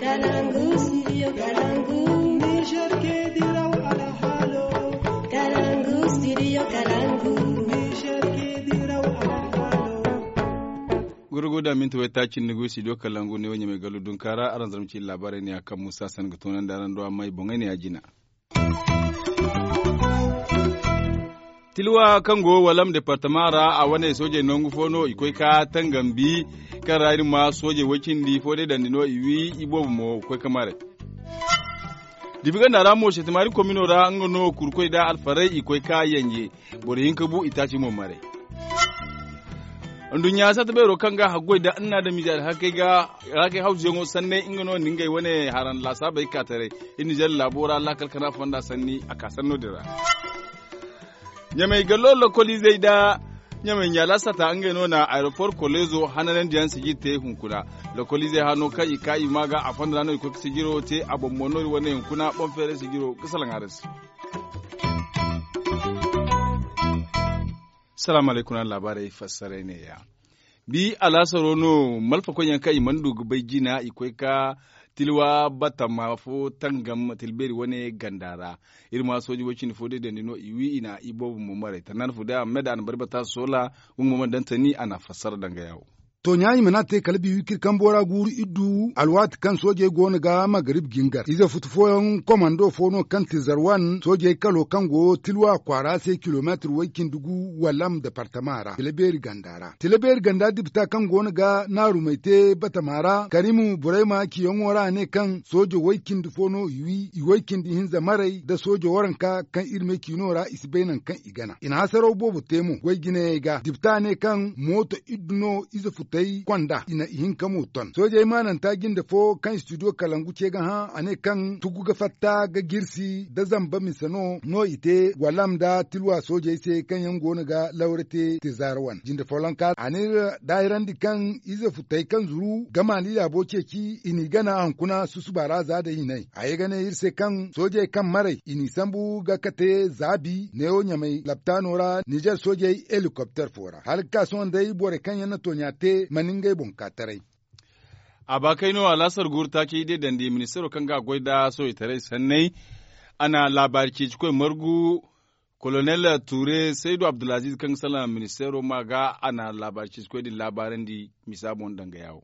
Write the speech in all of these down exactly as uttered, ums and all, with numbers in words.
Kalangu, studio Kalangu. Niger ke diraw alhalo. Kalangu, studio Kalangu. Niger ke diraw alhalo. Gurguda minti way taaci ni go studio Kalangu ne wo ɲamay gallu dunkaara araŋ zarma ci laabaarey ne a kaŋ musa san ga toonandi araŋ do amma i boŋey ne a jina. Tilwa kaŋ go walam departama ra a wane soojey nangu fo no i koy ka tangambi kaŋ ra iri ma soojey way cindi fo day dandi no i wi i boobo mo koy ka maray. Dibi ganda ra mo setimari komino ra nga no kurkoy da alfaray i koy ka yanje. Boro hinka bu i taaci mo maray. Nduɲɲa sata beero kaŋ ga haggoy da anna da mize alhakey ga alhakey hawzuyaŋo sanney nga no nda ngey wane haran laasaabey ka taray. Iri nizer laabo ra laakal kana fonda sanni a ka sanno din ra. Ɲamey gallo lokoliizey da ɲamey ɲaala sata ngey no na aeroport koleezo hananandiyaŋ sijir te hunkuna. Lokoliizey hano kaŋ i ka i ma ga a fonda ra no i koy ga sijiro te a boŋ mo no iri wane hunkuna boŋ feeray sijiro ga salaŋ araŋ se. Salaamu alaykum araŋ laabaarey fassaray ne-ya. Bi alaasaro no malfakoyyaŋ kaŋ i mana du ga bay jina i koy ka tilwa batama fo tangam tilbeeri wane ganda ra. Iri ma sooji way cindi fo day dandi no i wi i na i boobo mo maray tannan fu day a ma me da a na bari bata soola. Nga mo mana daŋ tani a na a fassara danga yaawo. Tooɲa i mana te kala bi wikir kambo ra guuru iddu alwaati kaŋ soojey go no ga magarib jingar ize futu fooyaŋ komando fo no kaŋ ti zarwan soojey kalo kaŋ go tilwa kwaara se kilomeetir way cindi gu wallam departama ra tila beeri ganda ra tila beeri ganda dipita kaŋ go no ga naarumey te batama ra karimu burayma ciyaŋo ra a ne kaŋ soojo way cindi fo no i wi i way cindi hinza maray nda soojo waranka kaŋ iri me ciino ra i si bay nangu kaŋ i gana i na hasaraw boobo te mo goy jinayey ga dipita ne kaŋ mooto iddu no ize futey konda i na ihinka mo ton soojey maananta jinde fo kaŋ studio kalangu ce ga hã a ne kaŋ tugu ga fatta ga jirsi nda zamba mise no no i te walam nda tilwa soojey se kaŋ yaŋ go no ga lawra te te zaara wane jinde follonka a n'iri daahirandi kaŋ ize futey kaŋ zuru gamaali laabo ceeci i n'i gana hunkuna susuba ra za day hinay a ye ga ne iri se kaŋ soojey kaŋ maray i n'i sambu ga kate zaabi neewo ɲamay laptaano ra nizer soojey helikopter fo ra hala ga ka sohõ day borey kaŋ yaŋ na tooɲa te mana ngey boŋ ka taray. A ba kay no alaasar guuru taaci day dandi ministeero kaŋ ga a goy nda sohãytaray sanney a na laabaari ceecikoy margu kolonel ture saydu abdulaziz kaŋ ga salaŋ ministeero ma ga a na laabaari ceecikoy din laabaarandi misa boŋ danga yaawo.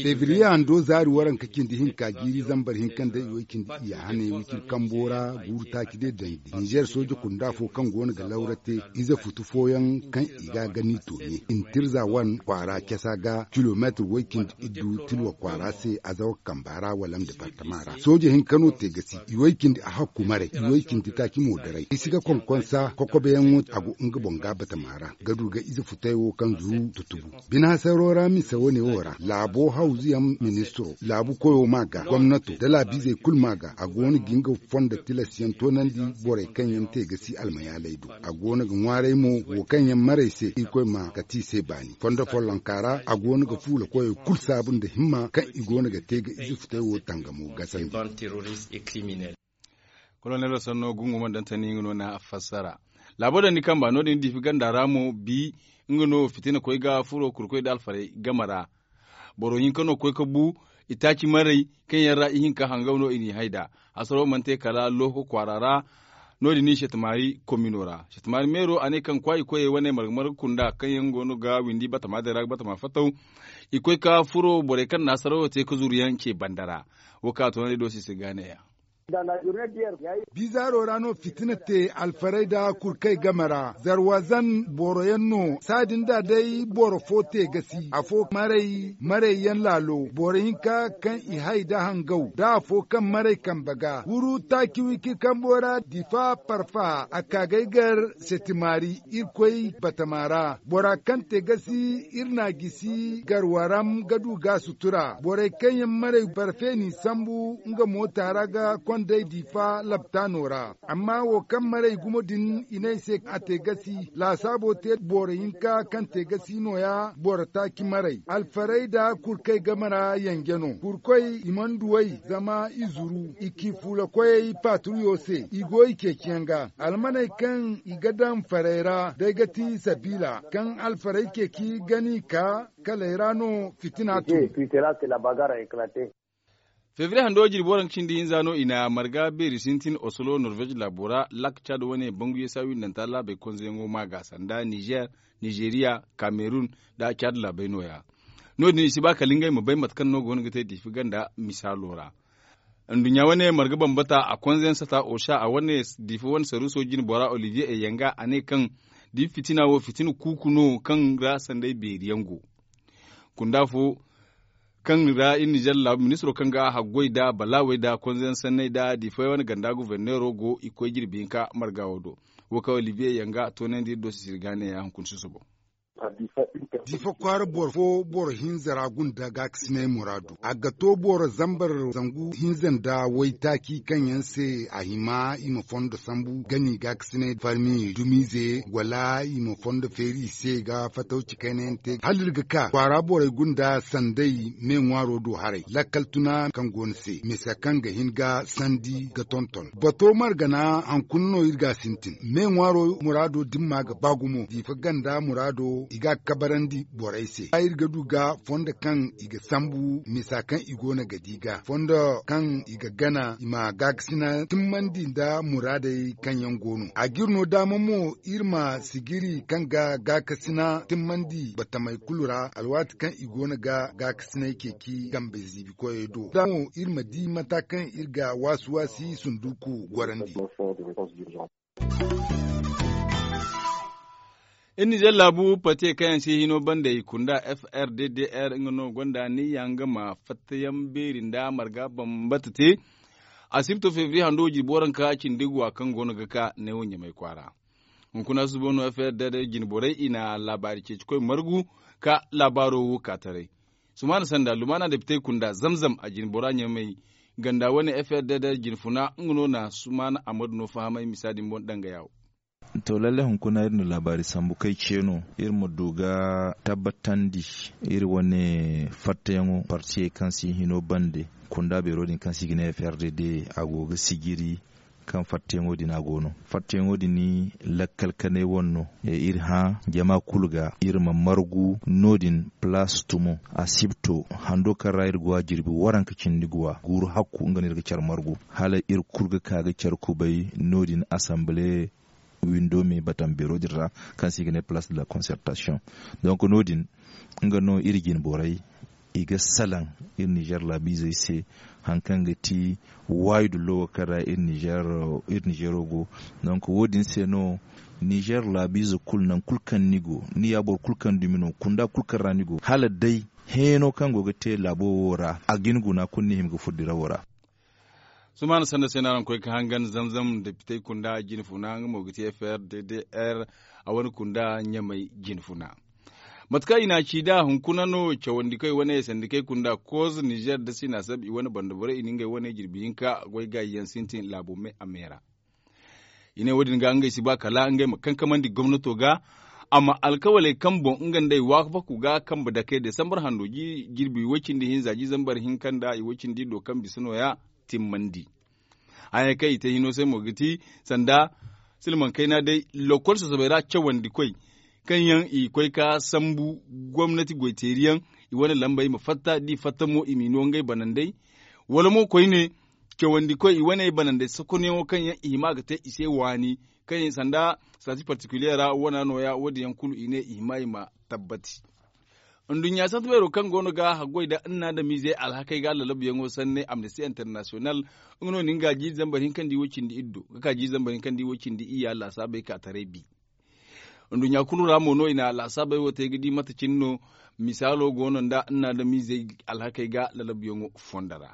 Febriye hando zaari waranka cindi hinka jiiri zambar hinka nda i way cindi iyya hane wiciri kambo ra guuru taaci day dandi nizer sooje kunda fo kaŋ go no ga lawra te ize futu fooyaŋ kaŋ i ga a gani toone intirza wan kwaara casa ga kilomeetir way cindi iddu tilwa kwaara se azawa kamba ra wala nda bartama ra sooje hinka no te ga si i way cindi a hakku maray i way cindi taaci moodaray i si ga konkonsa kokobeyaŋo a go nga boŋ ga batama ra ga du ga ize futay wo kaŋ zuru tutubu bine hasaro ra mise wane wo ra laabo hawzu yaŋ ministiro laabu koyo ma ga gomnato nda laabiizey kulu ma ga a go no ga nga fondo tilas yaŋ toonandi borey kaŋ yaŋ te ga si almayaaley do a go no ga ŋwaaray mo wo kaŋ yaŋ maray se irkoy ma kati i se baani fondo follonka ra a go no ga fuula koyey kulu saabu nda himma kaŋ i go no ga te ga ize futay wo tangamo gasandi. Kolonelo sanno gungu mana daŋ tani nga no na a fassara. Laabo daŋ ni kamba no- din difi ganda ra mo bi nga no fitina koy ga furo kurkoy da alfarey game ra. Boro hinka no koy ka bu i taaci maray kaŋ yaŋ ra ihinka hangaw no i n'i hay nd'a. Hasaro mana te kala looko kwaara ra. No- din no i seetamaari komino ra seetamaari meero a ne kaŋ kwaayi koyey wane marga marga kunda kaŋ yaŋ go no ga windi batama day ra ga batama fattaw. I koy ka furo borey kaŋ na hasarawo te ka zuru yaŋ ce banda ra. Wo kaŋ a toonandi doosi se ga ne ya. Bizaaro ra no fitina te alfarey nda kurkey game ra zarwazan boro yaŋ no saadin da day boro fo te ga si afo maray maray yaŋ laalo boro hinka kaŋ i hay nda hangaw nda afo kaŋ maray kambe ga wuru taaci wiki kambo ra difa parfaha a ka ga ay gar seetimaari irkoy batama ra bora kaŋ te ga si iri na gisi garwaram ga du ga sutura borey kaŋ yaŋ maray barfe n'i sambu nga moota ra ga kondey diifa laptaano ra amma wo kaŋ maray gumo din i ne ay se a te ga si laasaabo te boro hinka kaŋ te ga si nooya boro taaci maray alfarey nda kurkey game ra yanje no kurkoy i mana duw'ey zama i zuru i ci fuulakoyey paatruyo se i go i ceeciyaŋ ga almaney kaŋ i ga daŋ farey ra day ga ti sabiila kaŋ alfarey ceeci ga n'i ka kaley ra no fitina tun. Febriye hando jirbi waranka cindi hinza no i na marga beeri sintin oslo norvej laabo ra lak cad wane bangu yeesa windanta laabey konzeyaŋo ma ga sanda nizer, nizeriya, kamerun, nda cad laabey nooya. No- din i si ba kala ngey ma bay mate kaŋ no go no ga te diifi ganda misaalo ra. Nduɲɲa wane marga bambata a konzeyaŋ sata osa a wane diifi wane saruuso jine bora oliviye eyanga a ne kaŋ diifi fitina wo fitina kuuku no kaŋ ra sanday beeri yaŋ go. Kunda fo kaŋ ra iri nizer laabu ministiro kaŋ ga a haggoy nda balaawey nda konzeyaŋ sanney nda diifey wane ganda goforneero go i koy jirbi hinka marga wo do. Wo kaŋ oliviye yanga toonandi iri do sisiri ga ne ya hunkuna susubo. Diifa kwaara boro fo boro hinza ra gunda gaakasinay muraadu a ga to boro zambar zangu hinza nda waytaaci kaŋ yaŋ se a hima i ma fondo sambu gani gaakasinay farmi dumiize wala i ma fondo feeri i se ga fatawci kayna yaŋ te hala iri ga ka kwaara borey gunda sanday me ŋwaaro do haray lakkal tuna kaŋ go ni se misa kaŋ ga hin ga sandi ga tonton bato margana hankuna no iri ga a sintin me ŋwaaro muraado dimma ga ba gumo diifa ganda muraado i ga a kabarandi borey se iri ga du ga fondo kaŋ i ga sambu misa kaŋ i go no ga di ga fondo kaŋ i ga gana i ma gaakasina timmandi nda muraadey kaŋ yaŋ go no a ga iri no daama mo iri ma sijiri kaŋ ga gaakasina timmandi batamey kulu ra alwaati kaŋ i go no ga gaakasinay ceeci kambe ziibi koyey do da mo iri ma di mata kaŋ iri ga waasi waasi sunduku gorandi. Iri nizer laabu pate kaŋ yaŋ se hino banda i kunda f r d d r nga no gonda ni yaŋ ga ma fattayaŋ beeri nda marga bambata te. Asibto febriye hando jirbi waranka cindi guwa kaŋ go no ga ka neewo ɲamay kwaara. Hunkuna suba no f r d d r jine borey i na laabaari ceeci koy margu ka laabaaro wo ka taray. Sumaana sanda lumaana depitey kunda zamzam a jine bora ɲamay ganda wane f r d d r jine funa nga no na sumaana amadu no fahamay misa din boŋ danga yaawo. To lalle hunkuna iri na laabaari sambu kay ce no iri ma du ga tabbatandi iri wane fattayaŋo partiyey kaŋ si hino bande kunda beero din kaŋ se i ga ne f r d d a go ga sijiri kaŋ fattayaŋo din a go no fattayaŋo din lakkal kanay wane no iri hã jama kulu ga iri ma margu no- din palaas tumo asibto hando kaŋ ra iri go a jirbi waranka cindi guwa guuru hakku nga no iri ga care margu hala iri kulu ga ka ga care kubay no- din asambale windo me batam beero din ra kaŋ se i ga ne place de la concertation. Donc no- din nga no iri jine borey i ga salaŋ iri nizer laabiizey se hari kaŋ ga ti waayi dullo wo kaŋ ra iri nizer iri nizero go. Donc wo- din se no nizer laabiize kulu nangu kulu kaŋ ni go ni ya boro kulu kaŋ dumi no kunda kulu kaŋ ra ni go hala day heeno kaŋ go ga te laabo wo ra a ga ni guna kulu ni hima ga furo dirawo ra. Sumaana sanda se no araŋ koy ga hangan zamzam depitey kunda jine funa nga mo ga ti f r d d r a wane kunda ɲamay jine funa. Mate kaŋ i na a ci nd'a hunkuna no cawandikoy wane sandikey kunda koz nizer da sina sab i wane banda borey i na ngey wane jirbi hinka goy gaayi yaŋ sintin laabo me a me ra. I ne wo- din ga ngey si ba kala ngey ma kankamandi gomnato ga a ma alkawaley kaŋ boŋ nga nd'ey waafaku ga kambe dake desambar hando jirbi way- cindi hinza jiizambar hinka nda i way- cindi do kaŋ bisa nooya timmandi. Haya kaŋ i te hino se mo ga ti sanda silmaŋ kayna day lokol sasabey ra cawandi koy kaŋ yaŋ i koy ka sambu gomnati goyteeri yaŋ i wane lambey ma fatta da i fatta mo i m'i no ngey banandey wala mo koyne cawandi koy i wane banandey sokonyaŋo kaŋ yaŋ i hima ga te i se waani kaŋ yaŋ sanda sati partikiliye ra wana nooya wo- din yaŋ kulu i ne i hima i ma tabbati. Nduɲɲa sante beero kaŋ go no ga haggoy nda nna nda miize alhakey ga lalabuyaŋo sanne amnesty international nga no na nga jiiri zambar hinka nda i wo cindi iddo ga ka jiiri zambar hinka nda i wo cindi iyya laasaabey ka taray bi. Nduɲɲa kulu ra mo no i na laasaabey wo te ga di mate cine no misaalo go no nda nna nda miizey alhakey ga lalabuyaŋo fondo ra.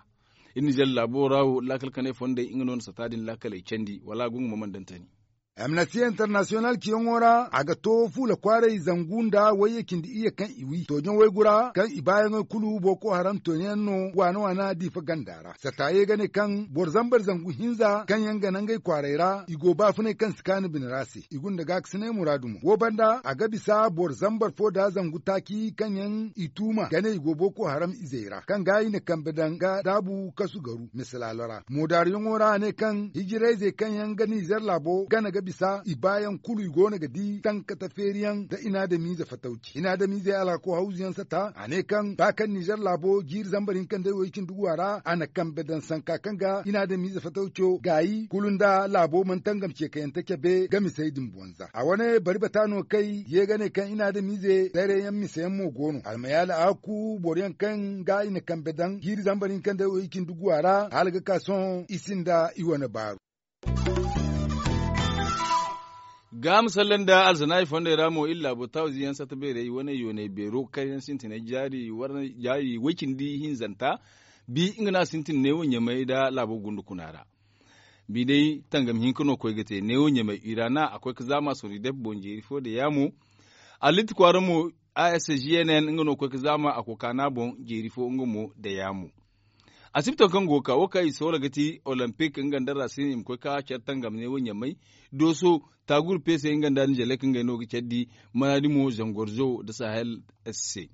Iri nizer laabo ra wo laakal kanay fondey nga no na sata din laakaley candi wala a go nga ma mana dantani. Amnesty international ciyaŋo ra a ga to fuula kwaaray zangu nda wayye cindi iyye kaŋ i wi toojaŋ waygu ra kaŋ i baayaŋey kulu boko haram toojaŋ yaŋ no waana waana diifa ganda ra sata ye ga ne kaŋ boro zambar zangu hinza kaŋ yaŋ ga nangey kwaaray ra i go baafunay kaŋ si kaanu bine ra se i gunda gaakasinay muraadu mo wo banda a ga bisa boro zambar fo nda zangu taaci kaŋ yaŋ i tuuma ga ne i go boko haram izey ra kaŋ ga i na kambe daŋ ga daabu kasu garu misalaalo ra moodaariyaŋo ra a ne kaŋ hijirayzey kaŋ yaŋ ga nizer laabo gana ga Bisa i baayaŋ kulu i go no ga di tankata feeriyaŋ nda inaadamiize fatawci inaadamiizey alhako hawzuyaŋ sata a ne kaŋ ba kaŋ nizer laabo jiiri zambar hinka nda ay way cindi guwa ra a na kambe daŋ sanka kaŋ ga inaadamiize fatawco gaayi kulu nda laabo mana tangam ceekayante cabe ga misey din bonza a wane bari bata no kay ye ga ne kaŋ inaadamiize dayrayaŋ miseyaŋ mo go no almayaali a hakku boro yaŋ kaŋ ga i na kambe daŋ jiiri zambar hinka nda ay way cindi guwa ra hala ga ka sohõ i sinda i wane baaru. Ga ma salle nda alzanaayi fondey ra mo iri laabo taawizi yaŋ sata beerey wane yooney beero kaŋ yaŋ sintinay jaari way cindi hinzanta bi nga no a sintin neewo ɲamay nda laabo gunda kuna ra. Bi day tangam hinka no koy ga te neewo ɲamay ira na a koy ga zaama sori dep boŋ jeeri fo da yaamo. Allitti kwaara mo a s g n n nga no koy ga zaama a koy kaana boŋ jeeri fo nga mo da yaamo. Asibitoŋ kaŋ go ga ka wo kaŋ i soola ga ti olimpik nga nda rasin i ma koy ga care tangam ne wo ɲamay dooso taaguru peese nga nda nizelek ngey no ga care di. Manaadi mo zangorzo nda sahel se.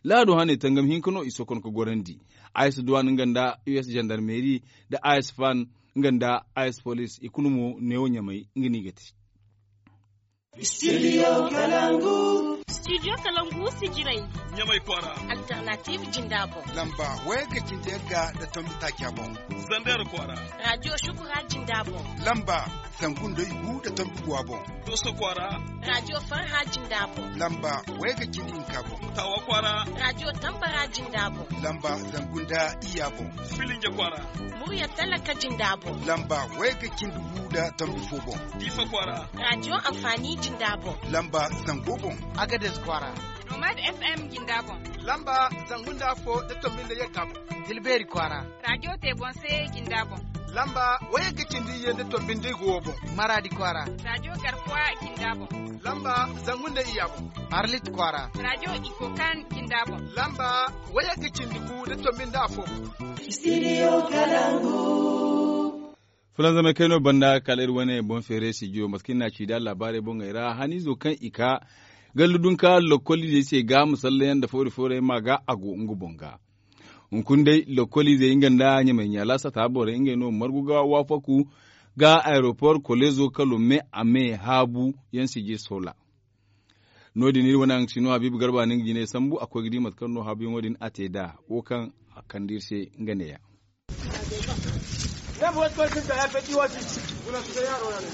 Laado hane tangam hinka no i sokon ga gorandi. Ayes duwan nga nda us zandarmeri nda ayes fan nga nda ayes polis i kulu mo ne wo ɲamay nga no i ga te. Studio kalangu. Studio kalangu sijiray ɲamay kwaara. Alternative jinda boŋ lamba wayga cindi yagga nda tombi taaca boŋ. Zander kwaara. Radio shukura jinda boŋ lamba zangu nda igu nda tombi guwa boŋ. Dooso kwaara. Radio farha jinda boŋ lamba wayga cindi hinka boŋ. Tawa kwaara. Radio tambara jinda boŋ lamba zangu nda iyya boŋ. Filinja kwaara. Murya talaka jinda boŋ lamba wayga cindi gu nda tombi fo boŋ. Diifa kwaara. Radio amfani jinda boŋ lamba zango boŋ. Agades kwaara. Nomad f m jinda boŋ lamba zangu nda afo nda tombi nda yagga boŋ. Dilbeeri kwaara. Radio te boŋ se jinda boŋ lamba wayagga cindi iyye nda tombi nda igu wo boŋ. Maraadi kwaara. Radio garkuwa jinda boŋ lamba zangu nda iyya boŋ. Arlit kwaara. Radio ikokan jinda boŋ lamba wayagga cindi gu nda tombi nda afo boŋ. Studio kalangu. Fulanzamay kayno banda kala iri wane boŋ feere sijiyo mate kaŋ i n'a ci da laabaarey boŋey ra haniizo kaŋ i ka gallu dunka lokkoliizey se ga masallayaŋ nda foori-foorey ma ga a go nga boŋ ga. Hunkuna day lokkoliizey nga nda ɲamay ɲaala sata borey ngey no margu ga waafaku ga aeropor koleezo kalo me a me haabu yaŋ sijir soola. No- din iri wane haŋ ga si no habiibu garba no nga jinay sambu a koy ga di mate kaŋ no haabuyaŋo din a te nd'a wo kaŋ a kande iri se nga neeya.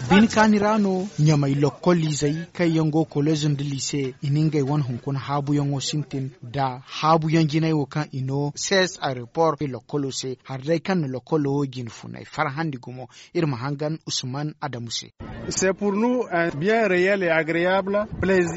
Bine kaani ra no ɲamay lokkol izey kaŋ yaŋ go koleezo nda liise i na ngey wane hunkuna haabuyaŋo sintin nda haabuyaŋ jinay wo kaŋ i no sees aeropor i lokkolo se hari day kaŋ na lokkolo wo jine funay farhandi gumo. Iri ma hangan usman adamu se.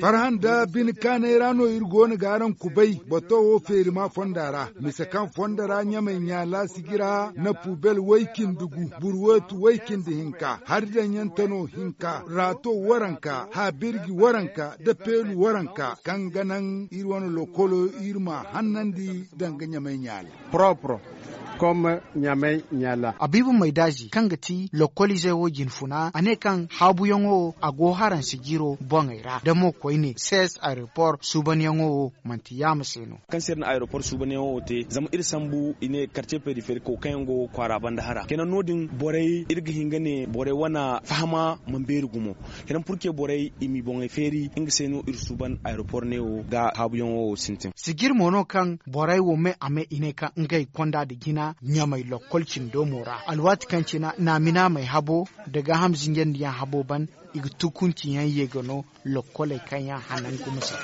Farhan da bine kaanay ra no iri go no ga araŋ kubay bato wo feerima fonda ra mise kaŋ fondo ra ɲamay ɲaala sijira na pubel way-cindi gu burweetu way-cindi hinka hari daŋyaŋ tano hinka raato waranka haabirji waranka da peelu waranka kaŋ ga naŋ iri wane lokolo iri ma hannandi danga ɲamay ɲaala. Propre. Comme ɲamay ɲaala. Abiibu maydaazi kaŋ ga ti lokkoliizey wo jinfuna a ne kaŋ haabuyaŋo wo a go haraŋ sijiro boŋey ra da mo koyne sees aeropor suubanyaŋo wo manti yaama se no. Kaŋ se iri na aeropor suubanyaŋo wo te zama iri sambu i ne karce periferiko kaŋ yaŋ go kwaara banda hara kenan no- din borey iri ga hin ga ne borey wane fahama mana beeri gumo. Kenan purke borey i m'i boŋey feeri nga se no iri suuban aeropor neewo ga haabuyaŋo wo sintin. Sijir mo no kaŋ borey wo me a me i ne kaŋ ngey konda nda jina ɲamay lokkol cindo mo ra alwaati kaŋ cina naamina may habo nda gaaham zinjandiyaŋ habo ban i ga tukunci yaŋ ye ga no lokkoley kaŋ yaŋ hanan gumo se.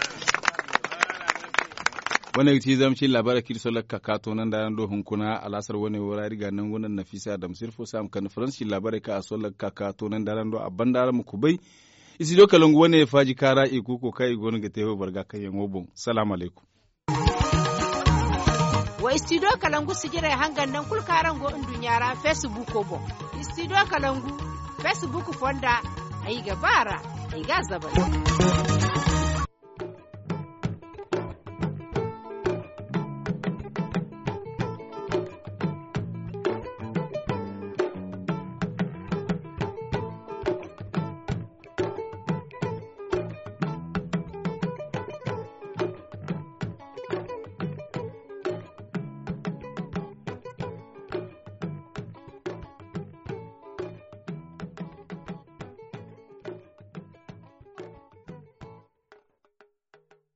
Wane ga ti zama cine laabaarey kaŋ iri solla ga ka ka toonandi araŋ do hunkuna alaasar wane wo ra iri ga a nangu nda nafisa adama sirfo se a ma kande faransi cine laabaarey kaŋ a solla ga ka ka toonandi araŋ do a banda araŋ ma kubay. Studio kalangu wane faaji kaara i kuuko kaŋ i go no ga te wayboro ga kaŋ yaŋo boŋ. Salaamu alaykum. Wa studio kalangu sijirey hangan naŋ kulu kaŋ araŋ go nduɲɲa ra feesibuuko boŋ. Studio kalangu feesibuuk fonda ay ga ba a ra ay ga a zabari.